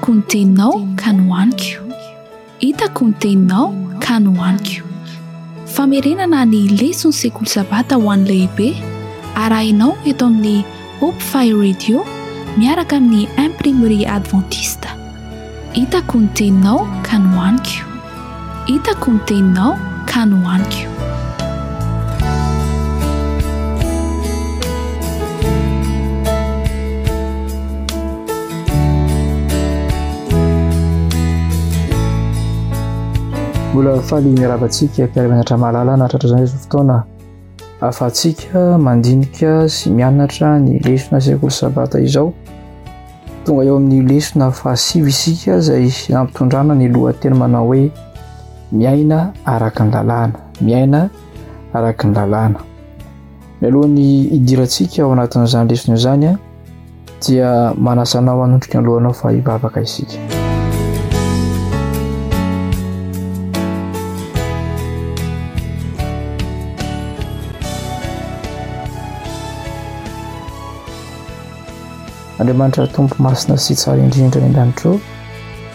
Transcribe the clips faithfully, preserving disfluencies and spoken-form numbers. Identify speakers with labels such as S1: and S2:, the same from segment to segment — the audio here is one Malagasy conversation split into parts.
S1: Hitako ny teninao ka nohaniko. Hitako ny teninao ka nohaniko. Famerenana ny leson'ny sekoly sabata ho an'ny lehibe arahinao eto amin'ny Hope Fire Radio miaraka amin'ny Imprimerie Adventiste. Hitako ny teninao ka nohaniko. Hitako ny teninao ka nohaniko.
S2: Mbola faly miarahaba antsika mpiara-mianatra mahalala nahatratra izany izao fotoana ahafahantsika mandinika sy mianatra ny lesona sekoly sabata izao. Tonga eo amin'ny lesona fahasivy isika izay nampitondrana ny lohateny manao hoe miaina araka ny lalàna, miaina araka ny lalàna. Mialohan'ny hidirantsika ao anatin'izany lesona izany dia manasa anao hanondrika ny lohanao fa hivavaka isika. Andriamanitra Tompo masina sy tsara indrindra any an-danitra ô,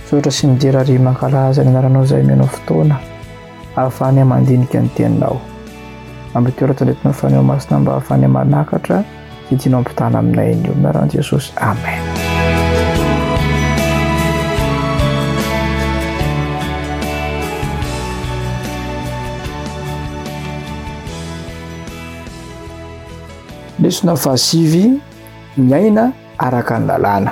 S2: misaotra sy midera ary mankalaza ny anaranao izay omenao fotoana ahafahany mandinika ny teninao. Ampitoera tandretinao Fanahy Masina mba ahafahany manakatra sy tianao ampitana aminay ny olona anaran'i Jesosy. Amen. Lesona fahasivy, miaina araka ny lalàna.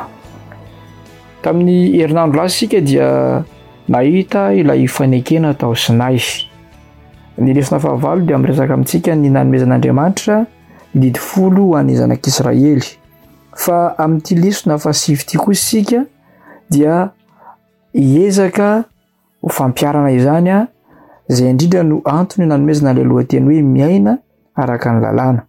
S2: Tamin'ny herinandro lasa isika dia nahita ilay fanekena tao Sinay. Ny lesona fahavalo dia miresaka amintsika ny nanomezan'Andriamanitra ny didy folo ho an'ny zanak'Israely. Fa amin'ity lesona fahasivy ity kosa isika dia hiezaka ho fampiharana izany, izay indrindra no antony nanomezana ilay lohateny hoe miaina araka ny lalàna.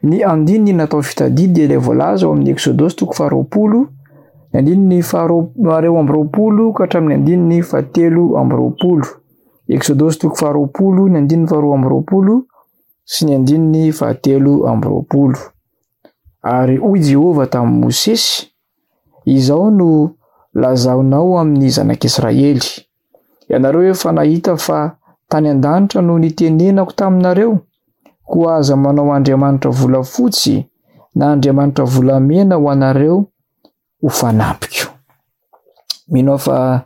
S2: Ny andininy natao fitadidy dia ilay voalaza ao amin'ny Eksodosy toko faharoapolo, ny andininy faharoa amby roapolo ka hatramin'ny andininy fahatelo amby roapolo. Eksodosy toko faharoapolo, ny andininy faharoa amby roapolo sy ny andininy fahatelo amby roapolo. Ary hoy Jehovah tamin'i Mosesy, izao no lazaonao amin'ny zanak'Israely. Ianareo efa nahita fa tany an-danitra no nitenenako taminareo, koa aza manao andriamanitra volafotsy na andriamanitra volamena ho anareo ho fanampiko. Mino aho fa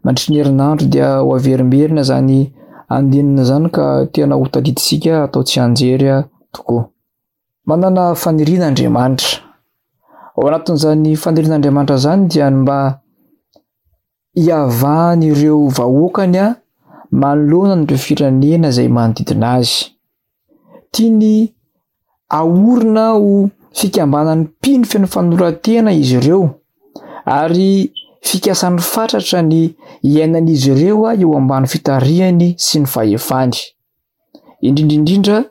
S2: mandritry ny herinandro dia ho averimberina izany andinina izany ka tena ho tadidintsika atao tsianjery tokoa. Manana faniriana Andriamanitra. Ao anatin'izany fanirian'Andriamanitra izany dia ny mba hiavahan'ireo vahoakany manoloana an'ireo firenena izay manodidina azy. Tiany ahorina ho fikambanan'ny mpino feno fanoloran-tena izy ireo ary fikasany fatratra ny iainan'izy ireo eo ambany fitarihany sy ny fahefany. Indrindra indrindra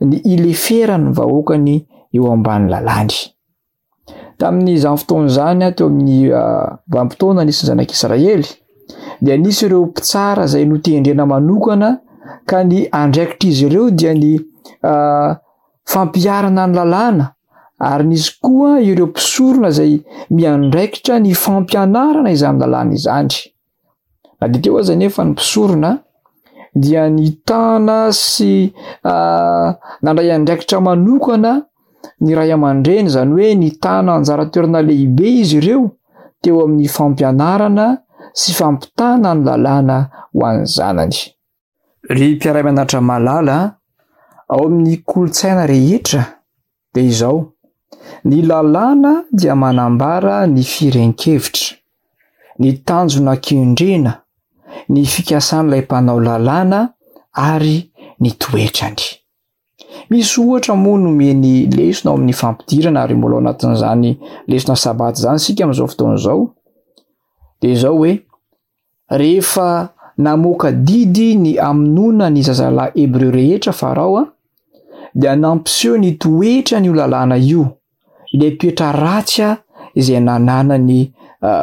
S2: ny ileferan'ny vahoakany eo ambany lalàny. Tamin'izany fotoana izany, teo amin'ny vanim-potoana nisy ny zanak'Israely, dia nisy ireo mpitsara izay notendrena manokana ka ny andraikitr'izy ireo dia ny fampiharana ny lalàna, ary nisy koa ireo mpisorona izay miandraikitra ny fampianarana izany lalàna izany. Na dia teo aza nefa ny mpisorona dia nitana sy nandray andraikitra manokana ny ray aman-dreny, izany hoe nitana anjara toerana lehibe izy ireo teo amin'ny fampianarana sy fampitana ny lalàna ho an'ny zanany. Ry mpiara-mianatra malala, ao amin'ny kolontsaina rehetra dia izao, ny lalàna dia manambara ny firehan-kevitra, ny tanjona kendrena, ny fikasan'ilay mpanao lalàna ary ny toetrany. Misy ohatra moa nomeny lesona ao amin'ny fampidirana ary mbola ao anatin'izany lesona sabata izany isika amin'izao fotoana izao. Dia izao hoe, rehefa namoaka didy ny hamonoana ny zazalahy hebreo rehetra Farao, dia nampiseho ny toetrany io lalàna io, ilay toetra ratsy izay nananany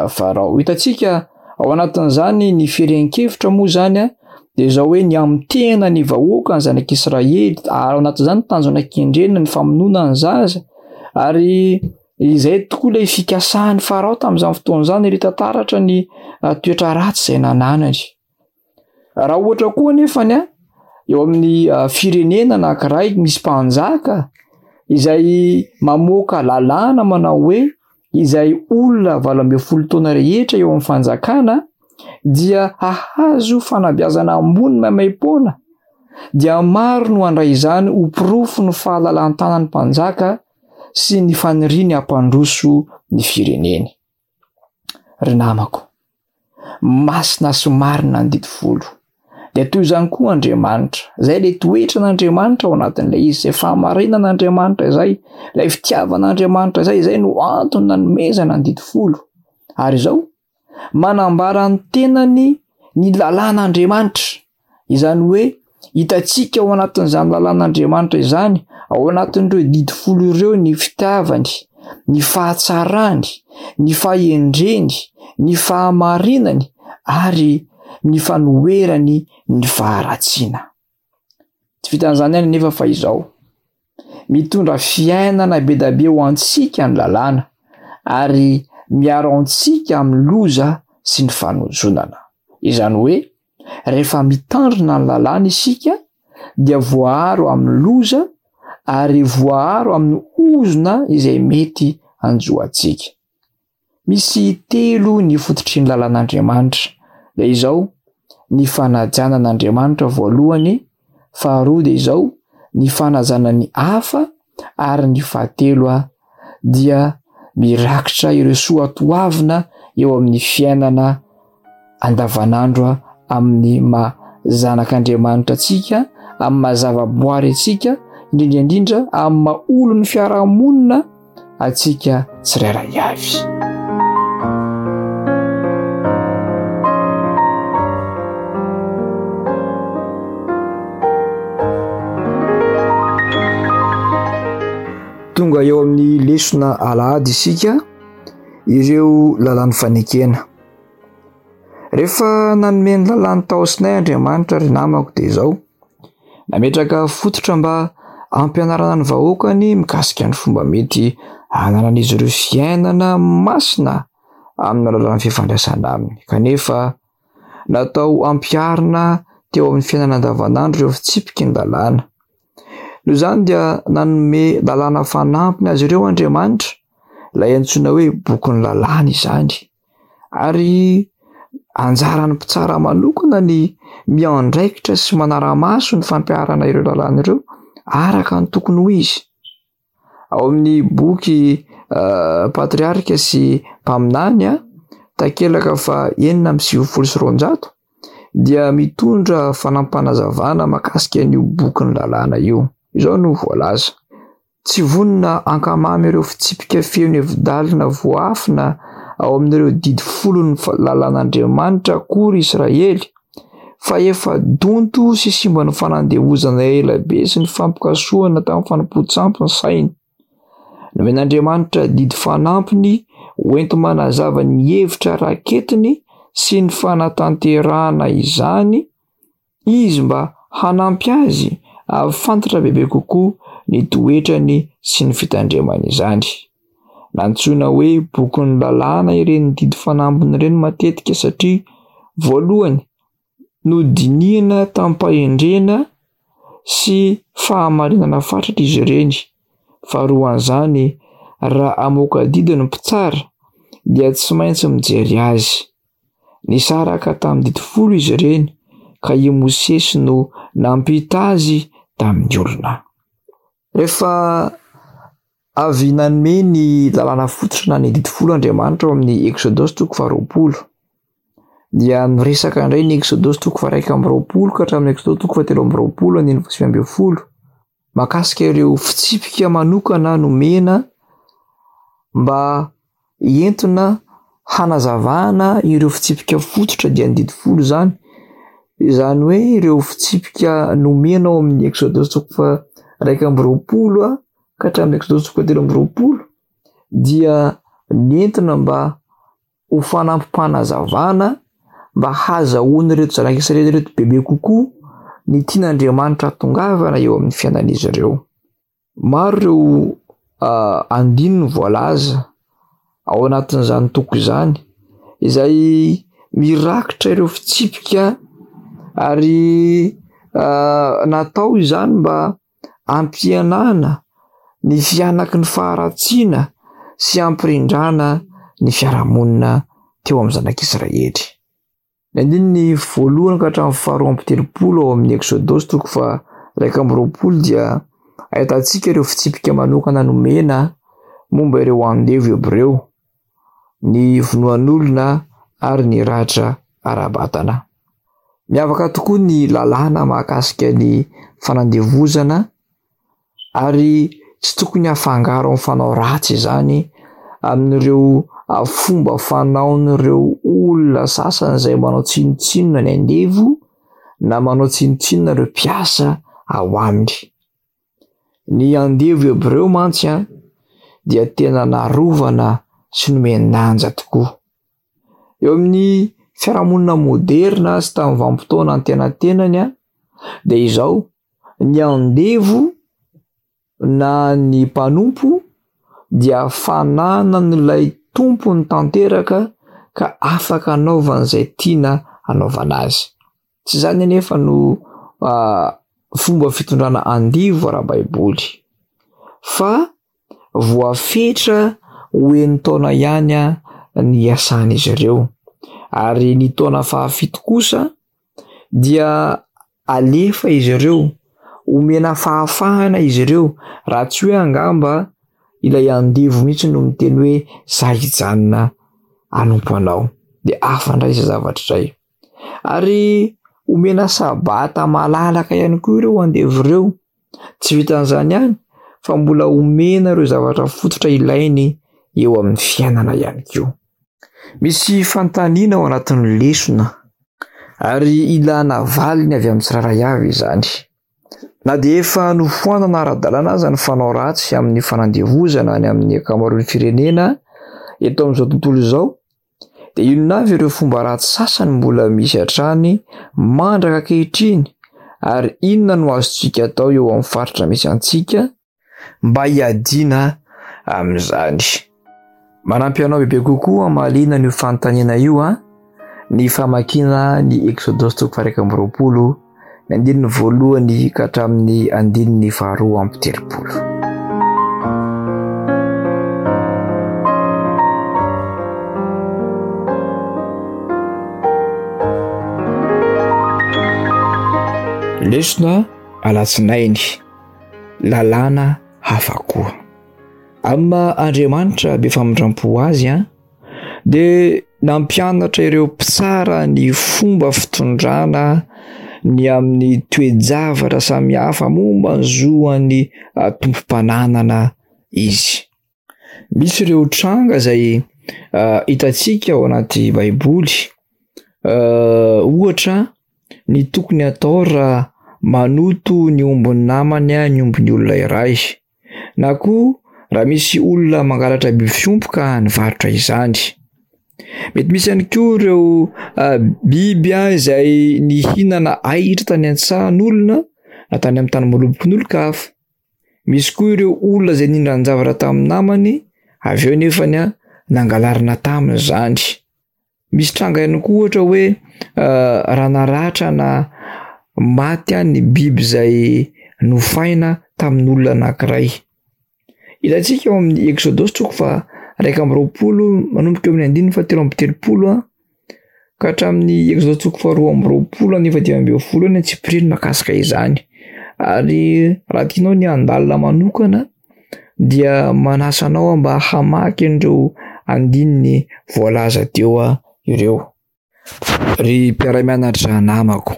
S2: Farao. Hitantsika ao anatin'izany ny firehan-kevitra moa izany dia izao hoe ny hamitehana ny vahoaka ny zanak'Israely, ary ao anatin'izany tanjona kendrena ny famonoana ny zaza, ary Izay tokoa ilay fikasan'i Farao tamin'izany fotoana izany, ary hita taratra ny toetra ratsy izay nananany. Raha ohatra koa anefa ny eo amin'ny firenena anankiray misy mpanjaka izay mamoaka lalàna manao hoe izay olona valo ambin'ny folo taona rehetra eo amin'ny fanjakana dia hahazo fanabeazana ambony maimaimpoana, dia maro no handray izany ho porofo ny fahalalan-tanan'ny mpanjaka sy ny faniriany hampandroso ny fireneny. Ry namako, masina sy marina ny didy folo. Dia toy izany koa Andriamanitra. Izay ilay toetran'Andriamanitra ao anatin'ilay izy, izay fahamarinan'Andriamanitra izay, ilay fitiavan'Andriamanitra izay, izay no antony nanomezana ny didy folo. Ary izao, manambara ny tenany ny lalàn'Andriamanitra. Izany hoe hitantsika ao anatin'izany lalàn'Andriamanitra izany, ao anatin'ireo didy folo ireo ny fitiavany, ny fahatsarany, ny fahendreny, ny fahamarinany ary ny fanoherany ny faharatsiana. Tsy vitan'izany ihany anefa fa izao, mitondra fiainana be dia be ho antsika ny lalàna ary miaro antsika amin'ny loza sy ny fanozonana. Izany hoe rehefa mitandrina ny lalàna isika dia voaaro amin'ny loza ary voaaro amin'ny ozona izay mety hanjo antsika. Misy telo ny fototry ny lalàn'Andriamanitra. Dia izao, ny fanajana an'Andriamanitra voalohany, faharoa dia izao, ny fanajana ny hafa, ary ny fahatelo dia mirakitra ireo soatoavina eo amin'ny fiainana andavanandro amin'ny maha zanak'Andriamanitra antsika, amin'ny maha zavaboary antsika, indrindra indrindra amin'ny maha olon'ny fiarahamonina antsika tsirairay avy. Tonga eo amin'ny lesona alahady isika, ireo lalàn'ny fanekena. Rehefa nanome ny lalàny tao Sinay Andriamanitra, ry namako, dia izao, nametraka fototra mba hampianarana ny vahoakany mikasika ny fomba mety hananan'izy ireo fiainana masina amin'ny alalan'ny fifandraisana aminy. Kanefa natao hampiharina teo amin'ny fiainana andavanandro ireo fitsipiky ny lalàna. Noho izany dia nanome lalàna fanampiny azy ireo Andriamanitra, ilay antsoina hoe bokin'ny lalàna izany. Ary anjaran'ny mpitsara manokana ny miandraikitra sy manara-maso ny fampiharana ireo lalàna ireo araka ny tokony ho izy. Ao amin'ny boky Patriarika sy Mpaminany, takelaka fa enina amby sivifolo sy roanjato, dia mitondra fanampanazavana mahakasika an'io bokin'ny lalàna io. Izao no voalaza: tsy vonona hankamamy ireo fitsipika feno hevi-dalina voafina ao amin'ireo didy folon'ny lalàn'Andriamanitra akory Israely, fa efa donto sy simba ny fanandevozana ela be sy ny fampikasohana tamin'ny fanompoan-tsampy ny sainy. Nomen'Andriamanitra didy fanampiny hoenti-manazava ny hevitra raketiny sy ny fanatanterahana izany izy mba hanampy azy hahafantatra bebe kokoa ny toetrany sy ny fitandremany izany. Nantsoina hoe bokin'ny lalàna ireny didy fanampiny ireny matetika satria voalohany nodinihina tamim-pahendrena sy fahamarinana fatratra izy ireny. Faharoan'izany, raha hamoaka didy ny mpitsara dia tsy maintsy mijery azy. Nisaraka tamin'ny didy folo izy ireny ka i Mosesy no nampita azy tamin'ny olona. Rehefa avy nanome ny lalàna fototra na ny didy folo Andriamanitra ao amin'ny Eksodosy toko faharoapolo, dia miresaka indray ny Eksodosy toko faha-iraika amby roapolo ka hatramin'ny Eksodosy toko fahatelo amby roapolo andininy fahasivy ambin'ny folo, mahakasika ireo fitsipika manokana nomena mba entina hanazavana ireo fitsipika fototra dia ny didy folo izany. Izany hoe ireo fitsipika nomena ao amin'ny Eksodosy toko faha-iraika amby roapolo ka hatramin'ny Eksodosy toko fahatelo amby roapolo dia nentina mba ho fanampim-panazavana mba hahazahoan'ireto zanak'Israely ireto bebe kokoa ny tian'Andriamanitra hatongavana eo amin'ny fiainan'izy ireo. Maro ireo andininy voalaza ao anatin'izany toko izany, izay mirakitra ireo fitsipika ary natao izany mba hampihenana ny fihanaky ny faharatsiana sy hampirindrana ny fiarahamonina teo amin'ny zanak'Israely. Ny andininy voalohany ka hatramin'ny faharoa amby telopolo ao amin'ny Eksodosy toko faha iraika amby roapolo dia ahitantsika ireo fitsipika manokana nomena momba ireo andevo hebreo, ny vonoan'olona ary ny ratra ara-batana. Miavaka tokoa ny lalàna mahakasika ny fanandevozana ary tsy tokony hafangaro amin'ny fanao ratsy izany amin'ireo fomba fanaon'ireo olona sasany izay manao tsinontsinona ny andevo na manao tsinontsinona ireo mpiasa ao aminy. Ny andevo hebreo mantsy an, dia tena narovana sy nomen-danja tokoa. Eo amin'ny fiarahamonina moderna sy tamin'ny vanim-potoana antenatenany an, dia izao, ny andevo na ny mpanompo dia fananan'ilay tompony tanteraka ka afaka anaovan'izay tiana anaovana azy. Tsy izany anefa no fomba fitondrana andevo ara-baiboly, fa voafetra ho enin-taona ihany ny iasan'izy ireo, ary ny taona fahafito kosa dia alefa izy ireo, omena fahafahana izy ireo, raha tsy hoe angamba ilay andevo mihitsy no miteny hoe za hijanona hanompo anao, dia hafa indray izay zavatra izay. Ary omena sabata malalaka ihany koa ireo andevo ireo. Tsy vitan'izany ihany fa mbola omena ireo zavatra fototra ilainy eo amin'ny fiainana ihany koa. Misy fanontaniana ao anatin'ny lesona ary ilana valiny avy amin'ny tsirairay avy izany. Na dia efa nofoanana ara-dalàna aza ny fanao ratsy amin'ny fanandevozana any amin'ny ankamaroan'ny firenena eto amin'izao tontolo izao, dia inona avy ireo fomba ratsy sasany mbola misy hatrany mandraka ankehitriny ary inona no azontsika atao eo amin'ny faritra misy antsika mba hiadiana amin'izany? Manampy anao bebe kokoa hamaliana an'io fanontaniana io an, ny famakiana ny Eksodosy toko faha iraika amby roapolo, ny andininy voalohany ka hatramin'ny andininy faharoa amby telopolo. Lesona alatsinainy, lalàna hafa koa. Amin'ny maha Andriamanitra be famindram-po azy an, dia nampianatra ireo mpitsara ny fomba fitondrana ny amin'ny toe-javatra samihafa momba ny zoan'ny tompom-pananana izy. Misy ireo tranga izay hitantsika ao anaty Baiboly, ohatra ny tokony hatao raha manoto ny ombin'ny namany ny ombin'ny olona iray, na koa raha misy olona mangalatra biby fiompy ka nivarotra izany. Mety misy ihany koa ireo biby izay nihinana ahitra tany an-tsahan'olona na tany amin'ny tanimboalobokin'olon-kafa. Misy koa ireo olona izay nindran-javatra tamin'ny namany, avy eo nefany nangalarina taminy izany. Misy tranga ihany koa ohatra hoe raha naratra na maty ny biby izay nofaina tamin'olona anankiray. Hitantsika ao amin'ny Eksodosy toko faha iraika amby roapolo manomboka eo amin'ny andininy fahatelo amby telopolo ka hatramin'ny Eksodosy toko faharoa amby roapolo andininy fahadimy ambin'ny folo ny antsipiriany mahakasika izany. Ary raha tianao ny handalina manokana dia manasa anao mba hamaky an'ireo andininy voalaza teo ireo. Ry mpiara-mianatra namako,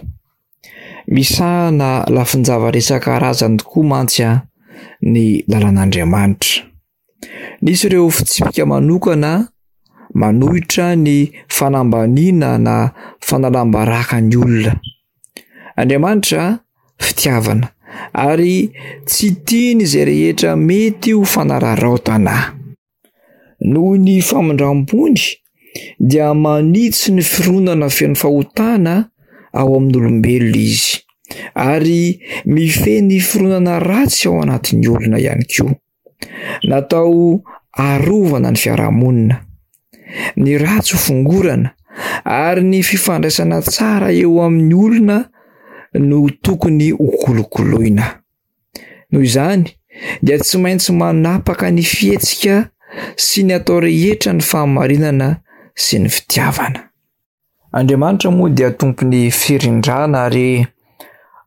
S2: misahana lafin-javatra isan-karazany tokoa mantsy an ny lalan'Andriamanitra. Nisy ireo fitsipika manokana manohitra ny fanambaniana na fanalam-baraka ny olona. Andriamanitra fitiavana ary tsy tiany izay rehetra mety ho fanararaotana. Noho ny famindram-pony dia manitsy ny fironana feno fahotana ao amin'olombelona izy ary mifehy ny fironana ratsy ao anatin'ny olona ihany koa. Natao arovana ny fiarahamonina, ny ratsy ho fongorana ary ny fifandraisana tsara eo amin'ny olona no tokony ho kolokoloina. Noho izany dia tsy maintsy manapaka ny fihetsika sy ny atao rehetra ny fahamarinana sy ny fitiavana. Andriamanitra moa dia tompon'ny firindrana ary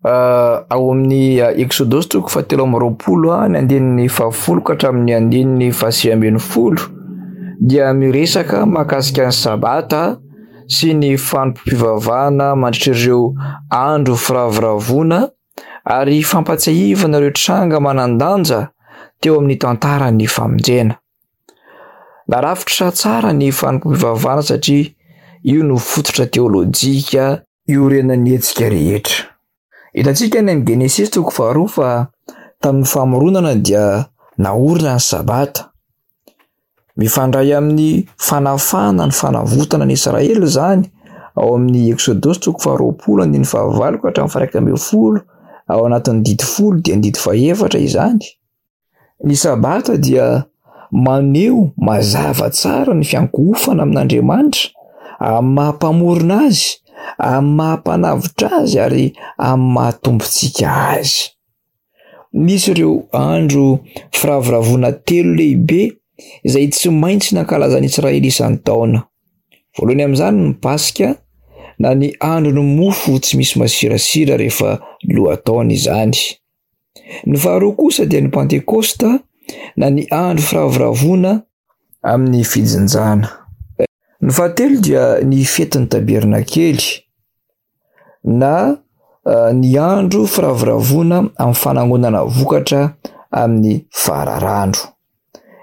S2: ao amin'ny Eksodosy toko fahatelo amby roapolo ny andininy fahafolo ka hatramin'ny andininy fahasivy ambin'ny folo dia miresaka mahakasika ny Sabata sy ny fanompoam-pivavahana mandritra ireo andro firavoravoana ary fampatsiahivana ireo tranga manan-danja teo amin'ny tantaran'ny famonjena. Narafitra tsara ny fanompoam-pivavahana satria io no fototra teolojika iorenan'ny hetsika rehetra. Hitantsika any amin'ny Genesisy toko faharoa fa tamin'ny famoronana dia naorina ny Sabata. Mifandray amin'ny fanafahana ny fanavotana ny Israely izany ao amin'ny Eksodosy toko faharoapolo andininy fahavalo ka hatramin'ny faha-iraika ambin'ny folo, ao anatin'ny didy folo dia ny didy fahefatra izany. Ny Sabata dia maneho mazava tsara ny fiankohofana amin'Andriamanitra, amin'ny maha-mpamorona azy, amin'ny maha-mpanavotra azy ary amin'ny maha-tompontsika azy. Nisy ireo andro firavoravoana telo lehibe izay tsy maintsy nankalazan'ny Israely isan-taona. Voalohany amin'izany ny Paska na ny andron'ny mofo tsy misy masirasira rehefa lohataona izany. Ny faharoa kosa dia ny Pantekosta na ny andro firavoravoana amin'ny fijinjana. Ny fahatelo dia ny fetin'ny tabernakely na ny andro firavoravoana amin'ny fanangonana vokatra amin'ny fararano.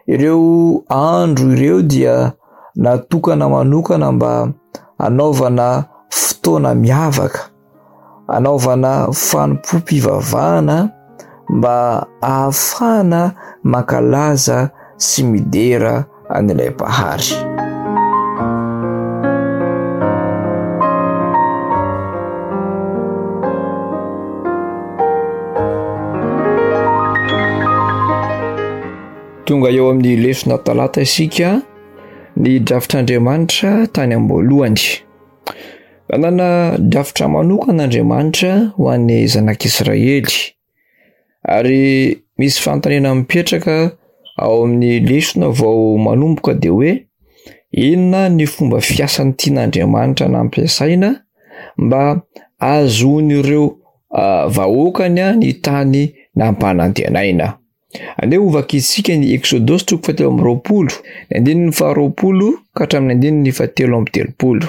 S2: Ireo andro ireo dia natokana manokana mba hanaovana fotoana miavaka, hanaovana fanompoam-pivavahana mba ahafahana mankalaza sy midera an'ilay Mpahary. Tonga eo amin'ny lesona talata isika, ny drafitr'Andriamanitra tany am-boalohany. Nanana drafitra manokana Andriamanitra ho an'ny zanak'Israely. Ary misy fanontaniana mipetraka ao amin'ny lesona vao manomboka dia hoe inona ny fomba fiasan'ny tian'Andriamanitra nampiasaina mba ahazoan'ireo vahoakany ny tany nampanantenaina. Andeha hovakintsika ny Eksodosy toko fahatelo amby roapolo, ny andininy faharoapolo ka hatramin'ny andininy fahatelo amby telopolo.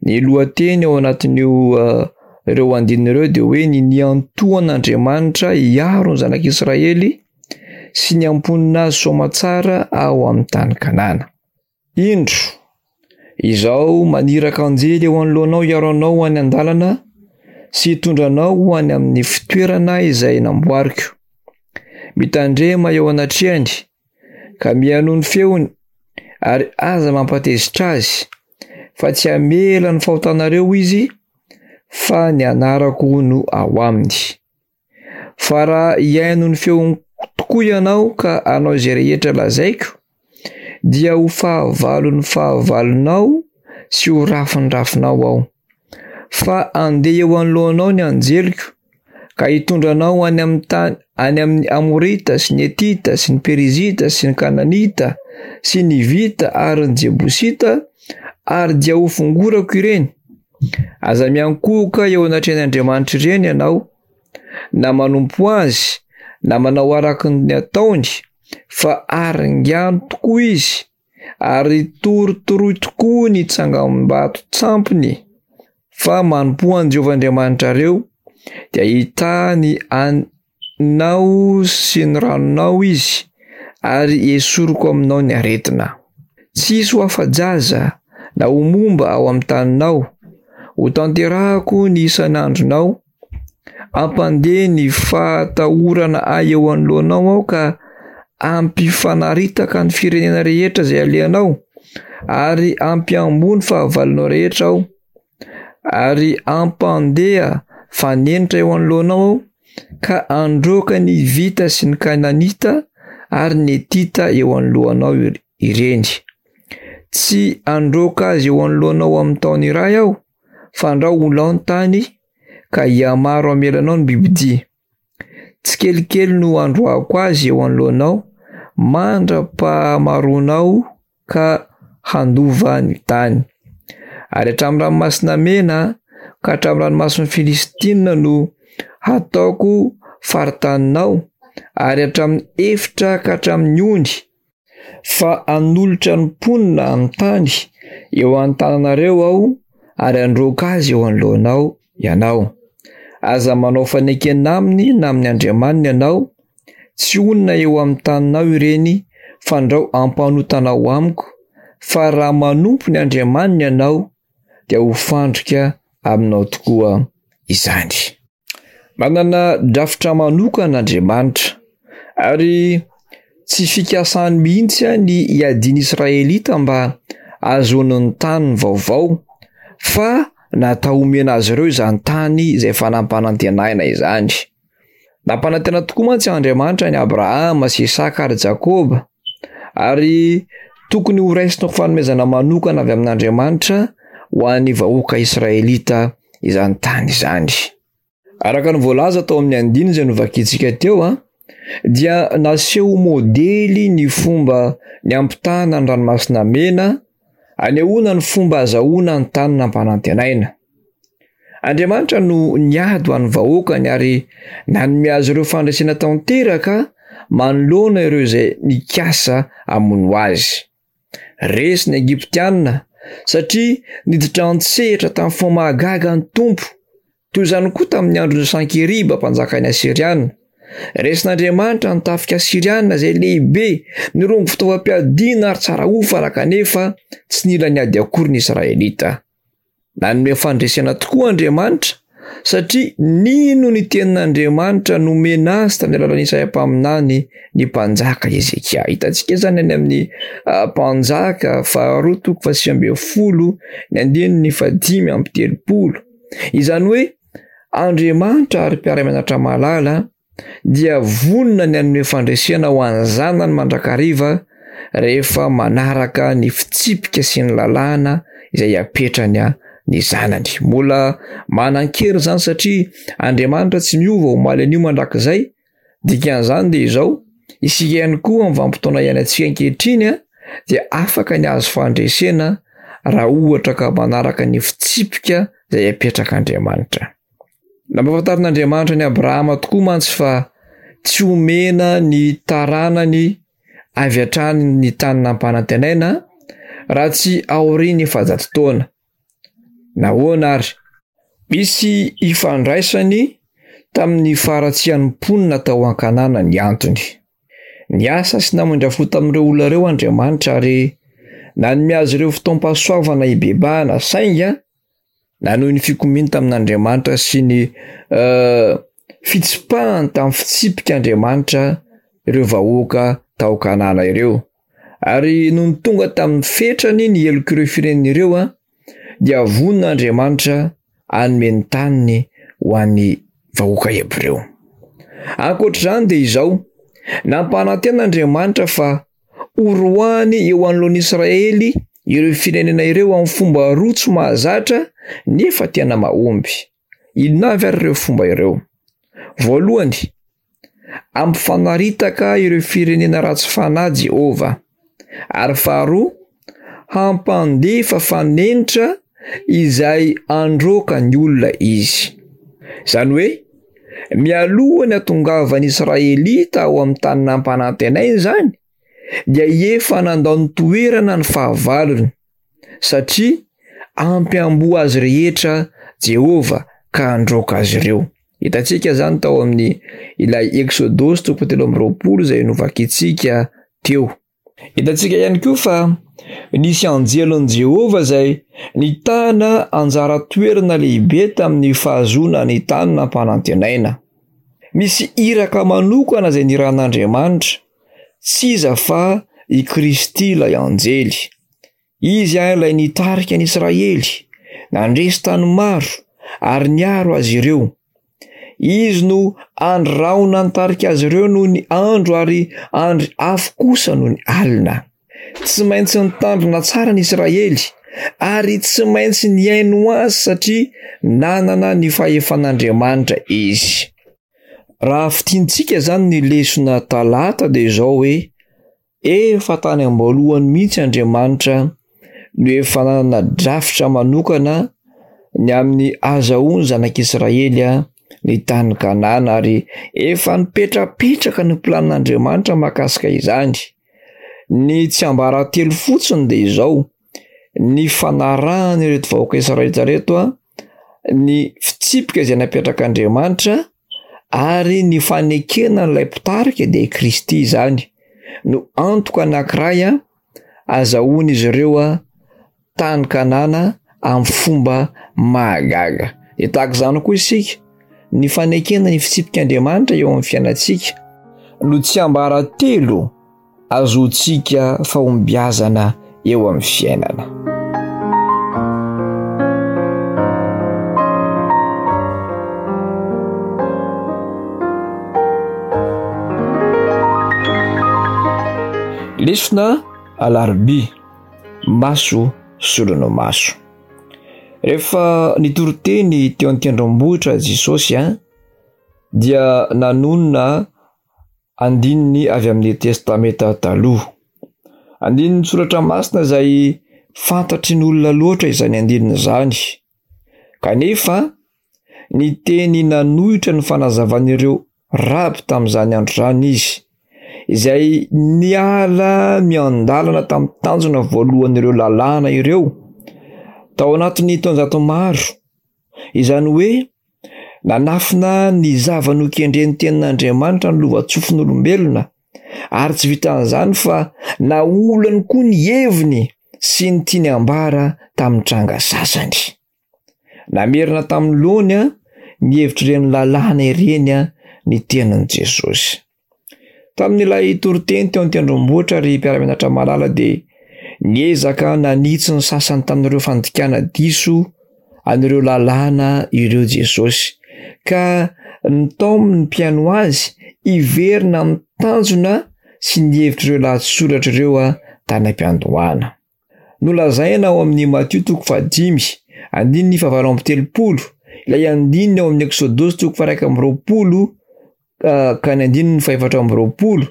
S2: Ny lohateny ao anatin'io ireo andininy ireo dia hoe ny niantohan'Andriamanitra hiaro ny zanak'Israely sy ny hamponina azy soamatsara ao amin'ny tany Kanana. Indro, izao maniraka anjely eo anoloanao hiaro anao ho any an-dalana sy hitondra anao ho any amin'ny fitoerana izay namboariko. Mitandrema eo anatrehany ka mihainoa ny feony ary aza mampatezitra azy, fa tsy hamela ny fahotanareo izy, fa ny anarako no ao aminy. Fa raha hihaino ny feony tokoa ianao ka hanao izay rehetra lazaiko, dia ho fahavalon'ny fahavalonao sy ho rafin'ny rafinao aho. Fa handeha eo anoloanao ny anjeliko, ka hitondra anao any amin'ny tany any amin'ny Amorita sy ny Hetita sy ny Perizita sy ny Kananita sy ny Hivita ary ny Jebosita, ary dia ho fongorako ireny. Aza miankohoka eo anatrehan' Andriamanitra ireny ianao, na manompo azy, na manao araka ny ataony, fa aringano tokoa izy, ary torotoroy tokoa ny tsangambato tsampiny. Fa manompoa an'i Jehovah Andriamanitrareo, dia hitaha ny anao sy ny ranonao izy, ary esoriko aminao ny aretina. Tsy hisy ho afa-jaza na ho momba ao amin'ny taninao. Ho tanterahako ny isan'andronao. Hampandeha ny fahatahorana ahy eo anoloanao aho ka hampifanaritaka ny firenena rehetra izay alehanao, ary hampiamboho ny fahavalonao rehetra aho, ary hampandeha fanenitra eo anoloanao aho ka handroaka ny Hivita sy ny Kananita ary ny Hetita eo anoloanao ireny. Tsy handroaka azy eo anoloanao amin'ny taona iray aho, fandrao ho lao ny tany ka hihamaro hamela anao ny bibidia. Tsikelikely no handroahako azy eo anoloanao mandra-pahamaroanao ka handova ny tany. Ary hatramin'ny ranomasina mena ka hatramin'ny ranomasin'ny Filistina no hataoko faritaninao, ary hatramin'ny efitra ka hatramin'ny ony, fa hanolotra ny mponina amin'ny tany eo an-tananareo aho ary handroaka azy eo anoloanao ianao. Aza manao fanekena aminy na amin'ny andriamaniny ianao, tsy honina eo amin'ny taninao ireny, fandrao hampanotanao amiko, fa raha manompo ny andriamaniny ianao, dia ho fandrika aminao tokoa izany. Manana drafitra manokana Andriamanitra, ary tsy fikasany mihitsy ny hiadian'ny Israelita mba hahazoany ny taniny vaovao, fa natao homena azy ireo izany tany izay efa nampanantenaina izany. Nampanantena tokoa mantsy Andriamanitra an'i Abrahama sy Isaka ary Jakoba, ary tokony ho raisina ho fanomezana manokana avy amin'Andriamanitra ho an'ny vahoaka Israelita izany tany izany. Araka ny voalaza tao amin'ny andininy izay novakintsika teo, a, dia naseho modely ny fomba niampitana ny ranomasina mena, anehoana ny fomba azahoana ny tany nampanantenaina. Andriamanitra no niady ho an'ny vahoakany ary nanome azy ireo fandresena tanteraka manoloana ireo izay nikasa hamono azy. Resy ny Egyptiana satria niditra an-tsehatra tamin'ny fomba mahagaga ny Tompo. Toy izany koa tamin'ny andron'i Sankeriba, mpanjakan'ny Asyriana. Resin'Andriamanitra ny tafika Asyriana izay lehibe, nirongo fitaovam-piadiana ary tsara hofana, kanefa tsy nila niady akory ny Israelita. Nanome fandresena tokoa Andriamanitra satria nino ny tenin'Andriamanitra nomena azy tamin'ny alalan'i Isaia mpaminany ny mpanjaka Hezekia. Hitantsika izany any amin'ny Mpanjaka faharoa toko fahasivy ambin'ny folo ny andininy fahadimy amby telopolo. Izany hoe Andriamanitra ary mpiara-mianatra malala dia vonona ny hanome fandresena ho an'ny zanany mandrakariva rehefa manaraka ny fitsipika sy ny lalàna izay apetrany ny zanany. Mbola manan-kery izany satria Andriamanitra tsy miova omaly anio mandrakizay. Dikan'izany dia izao, isika ihany koa amin'ny vanim-potoana iainantsika ankehitriny dia afaka ny hahazo fandresena raha ohatra ka manaraka ny fitsipika izay apetrak'Andriamanitra. Nampahafantarin'Andriamanitra an'i Abrahama tokoa mantsy fa tsy homena ny taranany avy hatrany ny tany nampanantenaina raha tsy aorian'ny efajato taona. Nahoana ary? Misy ifandraisany tamin'ny faharatsian'ny mponina tao an-Kanana ny antony. Niasa sy namindra fo tamin'ireo olona ireo Andriamanitra ary nanome azy ireo fotoam-pahasoavana hibebahana, saingy nanohy ny fikomiany tamin'Andriamanitra sy ny uh, fitsipahany tamin'ny fitsipik'Andriamanitra ireo vahoaka tao Kanana ireo. Ary nony tonga tamin'ny fetrany ny helok'ireo firenena ireo, a, dia vonona Andriamanitra hanome ny taniny ho an'ny vahoaka hebreo. Ankoatr'izany dia izao, nampanantena Andriamanitra fa horoahany eo anoloan'i Israely ireo firenena ireo amin'ny fomba roa tsy mahazatra nefa tena mahomby. Inona avy ary ireo fomba ireo? Voalohany, hampifanaritaka ireo firenena ratsy fanahy Jehovah. Ary faharoa, hampandefa fanenitra izay handroaka ny olona izy. Izany hoe, mialoha ny hatongavan'ny Israelita ao amin'ny tany nampanantenaina izany, dia efa nandao ny toerana ny fahavalony, satria hampiamboho azy rehetra Jehovah ka handroaka azy ireo. Hitantsika izany tao amin'ny ilay Eksodosy toko telo amby roapolo izay novakintsika teo. Hitantsika ihany koa fa nisy anjelin'i Jehovah izay nitana anjara toerana lehibe tamin'ny fahazoana ny tany nampanantenaina. Misy iraka manokana izay nirahin'Andriamanitra, tsy iza fa i Kristy ilay anjely. Izy ilay nitarika ny Israely, nandresy tany maro ary niaro azy ireo. Izy no andry rahona nitarika azy ireo noho ny andro ary andry afo kosa noho ny alina. Tsy maintsy nitandrina tsara ny Israely ary tsy maintsy nihaino azy satria nanana ny fahefan'Andriamanitra izy. Raha fintinitsika izany ny lesona talata dia izao hoe efa tany am-boalohany mihitsy Andriamanitra no efa nanana drafitra manokana ny amin'ny azahoan'ny zanak'Israely ny tany Kanana ary efa nipetrapetraka ny planin'Andriamanitra mahakasika izany. Ny tsiambaratelo fotsiny dia izao, ny fanarahana ireto vahoaka Israelita ireto, ny fitsipika izay napetrak'Andriamanitra ary ny fanekena an'ilay mpitarika dia i Kristy izany no antoka anankiray azahoan'izy ireo tany Kanana amin'ny fomba mahagaga. Dia tahaka izany koa isika, ny fanekena ny fitsipik'Andriamanitra eo amin'ny fiainantsika no tsiambaratelo azotsika fahombiazana eo amin'ny fiainana. Lesona alarobia, maso solon'ny maso. Rehefa nitory teny teo an-tendrombohitra Jesosy a, dia nanonona andininy avy amin'ny Testamenta Taloha. Andininy soratra masina izay fantatry ny olona loatra izany andininy izany. Kanefa, ny teny nanohitra ny fanazavan'ireo raby tamin'izany andro izany izy, izay niala miandalana tamin'ny tanjona voalohan'ireo lalàna ireo tao anatin'ny taonjato maro. Izany hoe nanafina ny zava-nokendren'ny tenin'Andriamanitra ny lova-tsofin'olombelona, ary tsy vitan'izany fa naolany koa ny heviny sy ny tiany ambara tamin'ny tranga sasany. Namerina tamin'ny lohany ny hevitr'ireny lalàna ireny ny tenin'i Jesosy. Tamin'ilay toriteny teo an-tendrombohitra ry mpiara-mianatra malala dia niezaka nanitsy ny sasany tamin'ireo fandikana diso an'ireo lalàna ireo Jesosy, ka nitaominy ny mpihaino azy hiverina amin'ny tanjona sy ny hevitr'ireo lahatsoratra ireo tany am-piandohana. Nolazaina ao amin'ny Matio toko fahadimy, andininy fahavalo amby telopolo, ilay andininy ao amin'ny Eksodosy toko faha-iraika amby roapolo ka ny andininy fahefatra amby roapolo,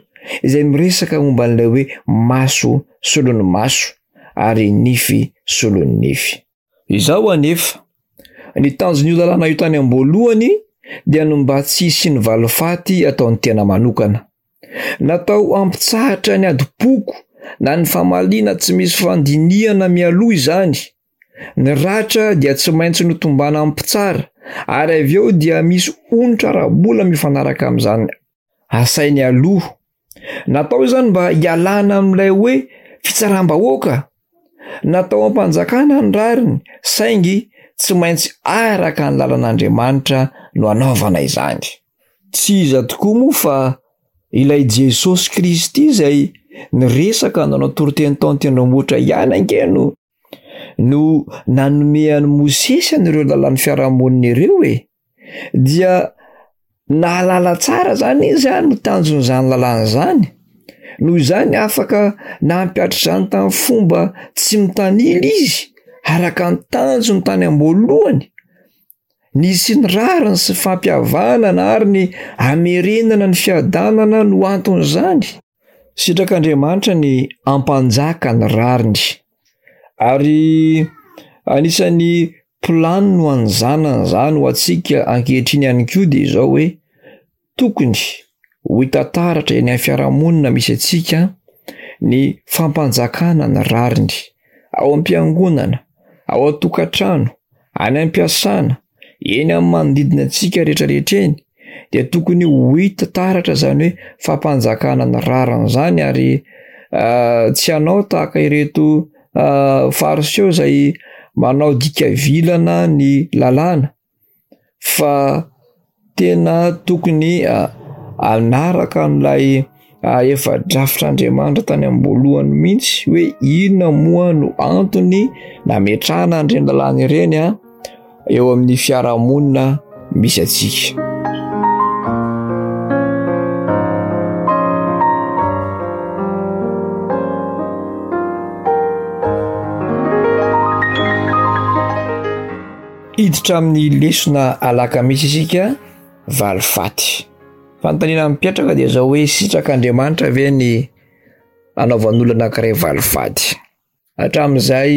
S2: izay miresaka momba an'ilay hoe maso solon'ny maso ary nify solon'ny nify. Izao anefa, ny tanjon'io lalàna io tany am-boalohany dia ny mba tsy hisian'ny valifaty ataon'ny tena manokana. Natao hampitsahatra ny adim-poko na ny famaliana tsy misy fandinihana mialoha izany. Ny ratra dia tsy maintsy notombana amin'ny mpitsara, ary avy eo dia misy onitra ara-bola mifanaraka amin'izany asainy aloha. Natao izany mba hialana amin'ilay hoe fitsaram-bahoaka. Natao am-panjakana ny rariny, saingy tsy maintsy araka ny lalan'Andriamanitra no anaovana izany. Tsy iza tokoa moa fa ilay Jesosy Kristy izay niresaka nanao toriteny tao an-tendrombohitra ihany ange no no nanome an'i Mosesy an'ireo lalàn'ny fiarahamonina ireo e. Dia nahalala tsara zany izy a no tanjon'izany lalàna izany. Noho izany afaka nampihatra izany tamin'ny fomba tsy mitanila izy, araka ny tanjony tany am-boalohany. Nisy ny rariny sy fampihavanana ary ny hamerenana ny fiadanana no anton'izany. Sitrak'Andriamanitra ny hampanjaka ny rariny, ary anisan'ny planiny ho an'ny zanany izany ho antsika ankehitriny ihany koa dia izao hoe tokony ho hita taratra eny amin'ny fiarahamonina misy antsika ny fampanjakana ny rariny ao am-piangonana, ao an-tokantrano, any am-piasana, eny amin'ny manodidina antsika rehetrarehetra eny, dia tokony ho hita taratra izany hoe fampanjakana ny rariny izany, ary tsy hanao tahaka ireto Fariseo izay manao dika vilana ny lalàna, fa tena tokony hanaraka an'ilay efa drafitr'Andriamanitra tany am-boalohany mihitsy hoe inona moa no antony nametrahana an'ireny lalàna ireny a eo amin'ny fiarahamonina misy antsika. Hiditra amin'ny lesona alakamisy isika, valifaty. Fanontaniana mipetraka dia izao hoe sitrak'Andriamanitra ve ny anaovan'olona anankiray valifaty? Hatramin'izay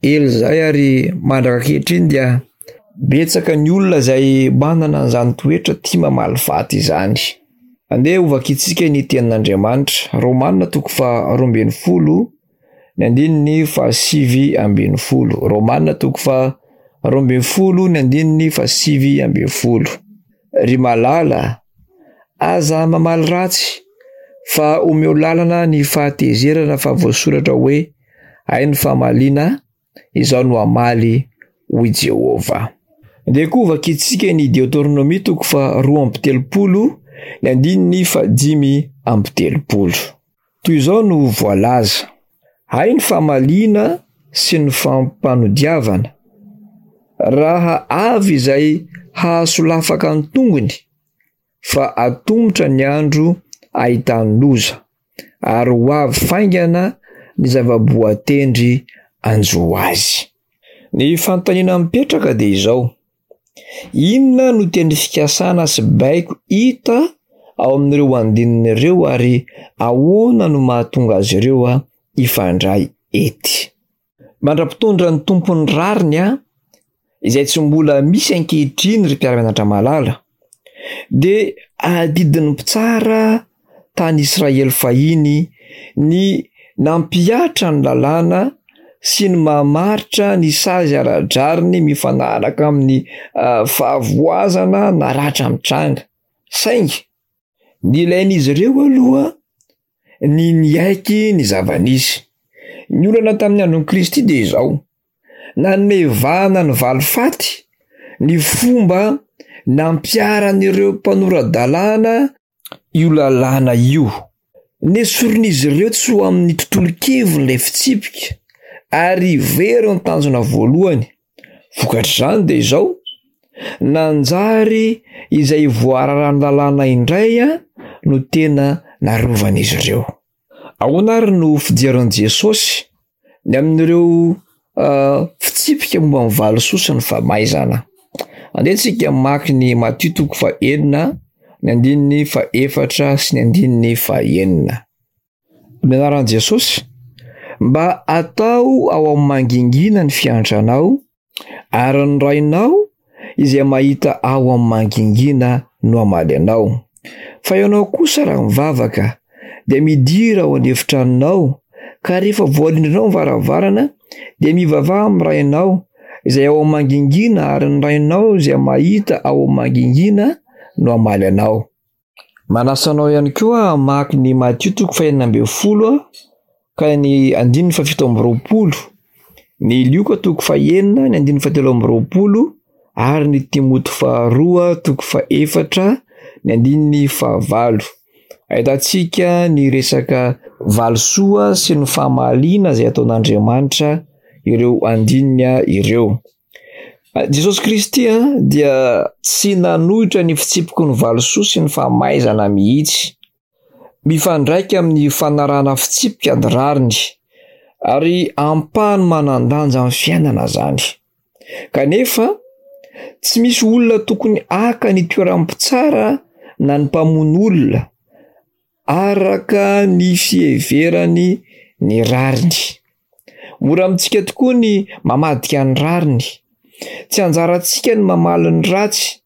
S2: ela izay ary mandraka ankehitriny dia betsaka ny olona izay manana an'izany toetra tia mamaly faty izany. Andeha hovakintsika ny tenin'Andriamanitra, Romana toko faharoa ambin'ny folo, ny andininy fahasivy ambin'ny folo. Romana toko faharoa ambin'ny folo, ny andininy fahasivy ambin'ny folo. Ry malala, aza mamaly ratsy, fa omeo lalana ny fahatezerana fa voasoratra hoe, Hay ny famaliana, izaho no hamaly, hoy Jehovah. Andeha koa hovakintsika ny Deoteronomia toko faharoa amby telopolo, ny andininy fahadimy amby telopolo. Toy izao no voalaza, Hay ny famaliana sy ny fampanodiavana, raha avy izay hahasolafaka ny tongony, fa atomotra ny andro ahitany loza, ary ho avy faingana ny zava-boatendry hanjo azy. Ny fanontaniana mipetraka dia izao, Inona no teny fikasana sy baiko hita ao amin'ireo andininy ireo ary ahoana no mahatonga azy ireo hifandray ety? Mandra-pitondra ny Tompon'ny rariny aho, izay tsy mbola misy ankehitriny ry mpiara-mianatra malala, dia adidin'ny mpitsara tany Israely fahiny ny nampihatra ny lalàna sy ny mamaritra ny sazy ara-drariny mifanaraka amin'ny ah, fahavoazana na ratra mitranga. Saingy nilain'izy ireo aloha ny niaiky ny zava-nisy. Ny olana tamin'ny andron'i Kristy dia izao, nanome vahana ny valifaty ny fomba nampiharan'ireo mpanora-dalàna io lalàna io. Nesorin'izy ireo tsy ho amin'ny tontolon-keviny ilay fitsipika ary very ny tanjona voalohany. Vokatr'izany dia izao, nanjary izay voararan'ny lalàna indray no tena narovan'izy ireo. Ahoana ary no fijerin'i Jesosy ny amin'ireo uh, fitsipika momba ny valisoa sy ny famaizana? Andeha tsika mamaky ny Matio toko fahenina, ny andininy fahefatra sy ny andininy fahenina. Amin'ny anaran'i Jesosy, mba atao ao amin'ny mangingina ny fiantranao, Ary ny Rainao izay mahita ao amin'ny mangingina no hamaly anao. Fa ianao kosa raha mivavaka, dia midira ao an'efitranonao, ka rehefa voarindrinao ny varavarana, dia mivavaha amin'ny Rainao izay ao amin'ny mangingina, ary ny Rainao izay mahita ao amin'ny mangingina no hamaly anao. Manasa anao ihany koa hamaky ny Matio toko fahenina ambin'ny folo ka ny andininy fahafito amby roapolo, ny Lioka toko fahenina ny andininy fahatelo amby roapolo ary ny Timoty faharoa toko fahefatra ny andininy fahavalo. Ahitantsika ny resaka valisoa sy ny famaliana izay ataon'Andriamanitra ireo andininy ireo. Jesosy Kristy dia tsy nanohitra ny fitsipiky ny valisoa sy ny famaizana mihitsy. Mifandraika amin'ny fanarahana fitsipika ny rariny, ary ampahany manan-danja amin'ny fiainana izany. Kanefa, tsy misy olona tokony haka ny toeran'ny mpitsara na ny mpamono olona, araka ny fiheverany ny rariny. Mora amintsika tokoa ny mamadika ny rariny. Tsy anjarantsika ny mamaly ny ratsy.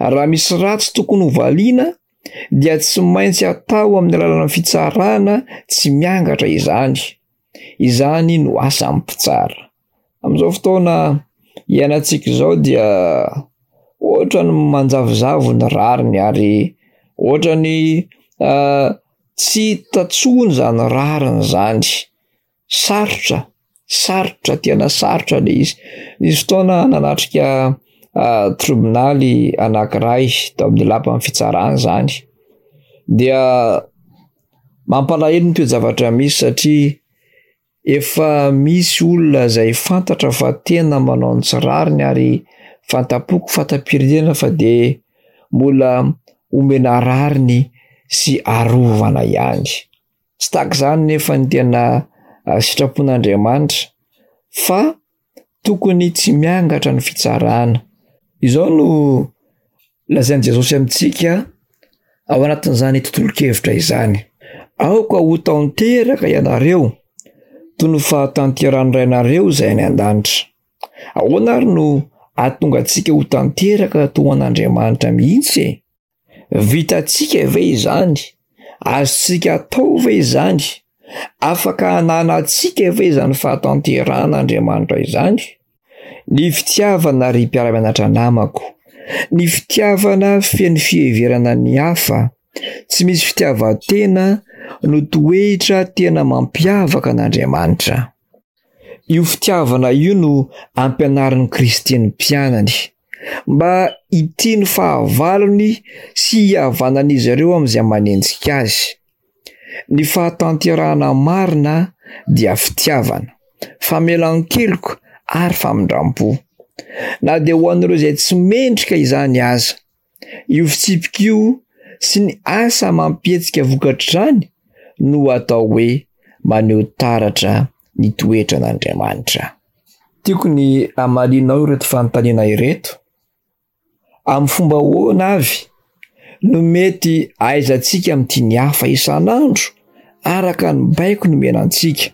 S2: Raha misy ratsy tokony hovaliana dia tsy maintsy atao amin'ny alalan'ny fitsarana tsy miangatra izany. Izany no asan'ny mpitsara. Amin'izao fotoana iainantsika izao dia ohatran'ny manjavozavo ny rariny ary ohatran'ny uh, tsy hita tsony izany rariny izany. Sarotra, sarotra, tena sarotra le izy. Nisy fotoana nanatrika uh, tribonaly anankiray tao amin'ny lapan'ny fitsarana izany. Dia mampalahelo ny toe-javatra misy satria efa misy olona izay fantatra fa tena manao ny tsy rariny ary fanta-poko, fanta-pirenena fa dia mbola omena rariny sy arovana ihany. Tsy tahaka izany nefa ny tena ah, sitrapon'Andriamanitra fa Tokony tsy miangatra ny fitsarana. Izao no lazain'i Jesosy amintsika ao anatin'izany tontolon-kevitra izany. Aoka ho tanteraka ianareo, toy ny fahatanterahan'ny Rainareo izay any an-danitra. Ahoana ary no ahatonga antsika ho tanteraka toa an'Andriamanitra mihitsy e? Vitantsika ve izany? Azontsika atao ve izany? Afaka ananantsika ve izany fahatanterahan'Andriamanitra izany? Ny fitiavana, ry mpiara-mianatra namako, ny fitiavana feno fiheverana ny hafa, tsy misy fitiavan-tena no toetra tena mampiavaka an'Andriamanitra. Io fitiavana io no ampianarin'i Kristy ny mpianany, mba hitia ny fahavalony sy hihavanan'izy ireo amin'izay manenjika azy. Ny fahatanterahana marina dia fitiavana, famelan-keloka ary famindram-po. Na dia ho an'ireo izay tsy mendrika izany aza. Io fitsipika io sy ny asa amam-pihetsika vokatr'izany no atao hoe maneho taratra ny toetran'Andriamanitra. Tiako ny hamalianao ireto fanontaniana ireto. Amin'ny fomba ahoana avy no mety ahaizantsika mitia ny hafa isan'andro araka ny baiko nomena antsika?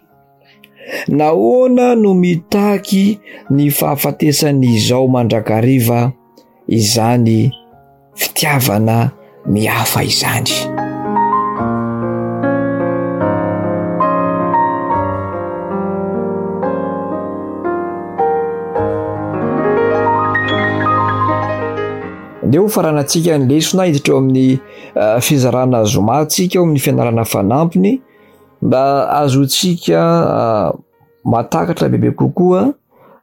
S2: Nahoana no mitaky ny fahafatesan'izao mandrakariva izany fitiavana ny hafa izany? Andeha ho faranantsika ny lesona, hiditra eo amin'ny eh, fizarana zoma tsika eo amin'ny fianarana fanampiny mba ahazoantsika eh, mahatakatra bebe kokoa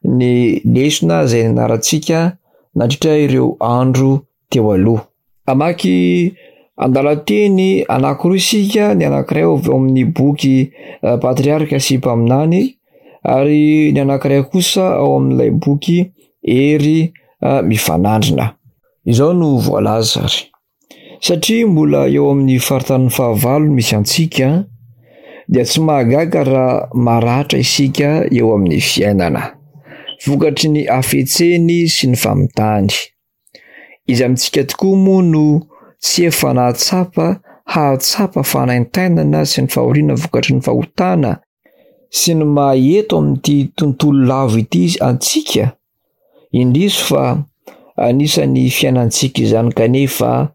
S2: ny lesona izay nianarantsika nandritra ireo andro teo aloha. Hamaky andalan-teny anankiroa isika, ny anankiray avy ao amin'ny boky eh, Patriarka sy Mpaminany ary ny anankiray kosa ao amin'ilay boky Hery eh, Mifanandrina. Izao no voalaza ary. Satria mbola eo amin'ny faritanin'ny fahavalo misy antsika, dia tsy mahagaga raha maratra isika eo amin'ny fiainana, vokatry ny hafetseny sy ny famitany. Iza amintsika tokoa moa no tsy efa nahatsapa hahatsapa fanaintainana sy ny fahoriana vokatry ny fahotana sy ny maha eto amin'ity tontolo lavo ity antsika? Indrisy fa anisan'ny fiainantsika izany kanefa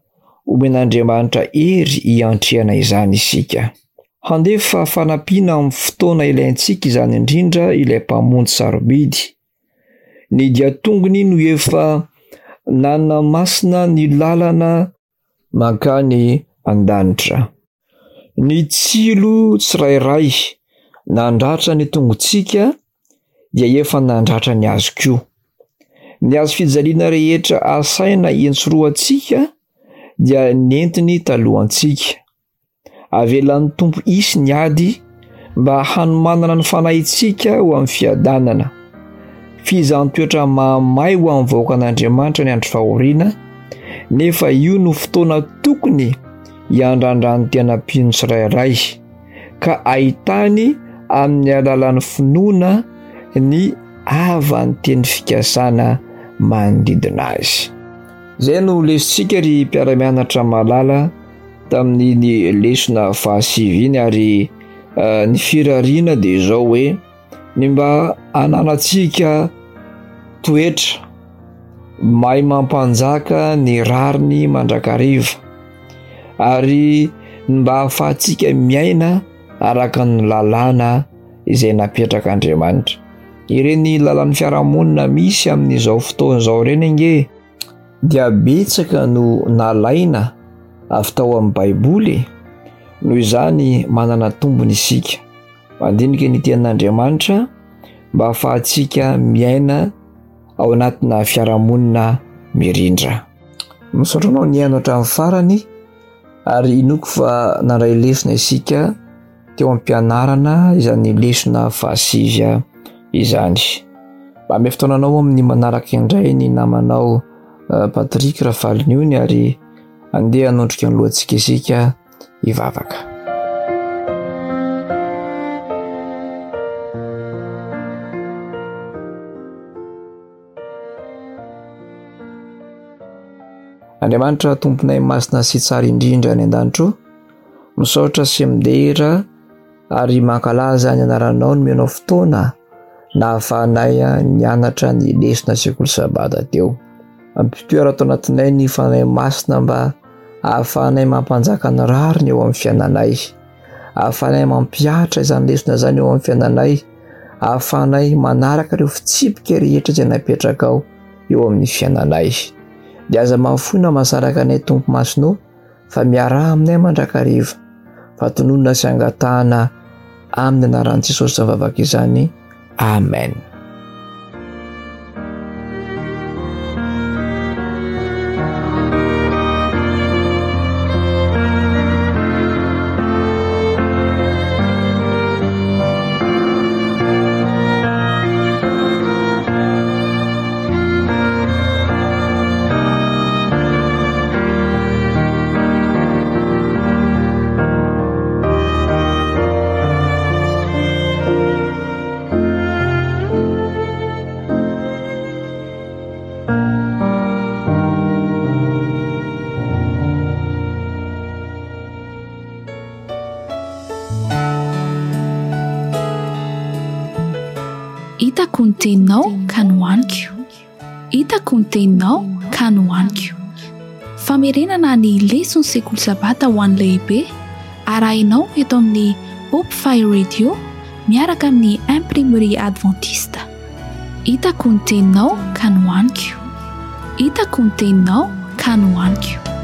S2: omen'Andriamanitra hery hiantrehana izany isika. Handefa fanampiana amin'ny fotoana ilaintsika izany indrindra ilay Mpamonjy sarobidy. Ny dian-tongony no efa nanamasina ny lalana mankany an-danitra. Ny tsilo tsirairay nandratra ny tongotsika dia efa nandratra ny azy koa. Ny hazo fijaliana rehetra asaina hiantsorohantsika dia nentiny talohantsika. Avelan'ny Tompo hisy ny ady mba hanomanana ny fanahintsika ho amin'ny fiadanana. Fizaham-toetra mahamay ho an'ny vahoakan'Andriamanitra ny andro fahoriana, nefa io no fotoana tokony hiandrandran'ny tena mpino tsirairay, ka ahitany amin'ny alalan'ny finoana ny havan'ny teny fikasana manodidina azy. Izay no lesotsika ry mpiara-mianatra malala tamin'iny lesona fahasivy iny, ary eh, ny firariana dia izao hoe ny mba hananantsika toetra mahay mampanjaka ny rariny mandrakariva, ary ny mba hahafahantsika miaina araka ny lalàna izay napetrak'Andriamanitra. Ireny lalàn'ny fiarahamonina misy amin'izao fotoana izao ireny ange dia betsaka no nalaina avy tao amin'ny Baiboly e. Noho izany manana tombony isika mandinika ny tenin'Andriamanitra mba hahafahantsika miaina ao anatina fiarahamonina mirindra. Misaotra anao nihaino hatramin'ny farany ary inoako fa nandray lesona isika teo am-pianarana izany lesona fahasivy izany. Manome fotoana anao amin'ny manaraka indray ny namanao eh, Patrick Rafaliniony ary andeha hanondrika ny lohantsika isika hivavaka. Andriamanitra Tomponay masina sy tsara indrindra any an-danitra o, misaotra sy midera ary mankalaza ny anaranao nomenao fotoana nahafahanay nianatra ny lesona sekoly sabata teo. Ampitoero ato anatinay ny Fanahy Masina mba ahafahanay mampanjaka ny rariny eo amin'ny fiainanay, ahafahanay mampihatra izany lesona izany eo amin'ny fiainanay, ahafahanay manaraka ireo fitsipika rehetra izay napetrakao eo amin'ny fiainanay. Dia aza mahafoy na mahasaraka anay Tompo Masina o, fa miaraha aminay mandrakariva, fa tononina sy angatahana amin'ny anaran'i Jesosy izany vavaka izany. Amen.
S1: Hitako ny teninao ka nohaniko. Hitako ny teninao ka nohaniko. Famerenana ny leson'ny sekoly sabata ho an'ny lehibe arahinao eto amin'ny Hope Fire Radio miaraka amin'ny Imprimerie Adventiste. Hitako ny teninao ka nohaniko. Hitako ny teninao ka nohaniko.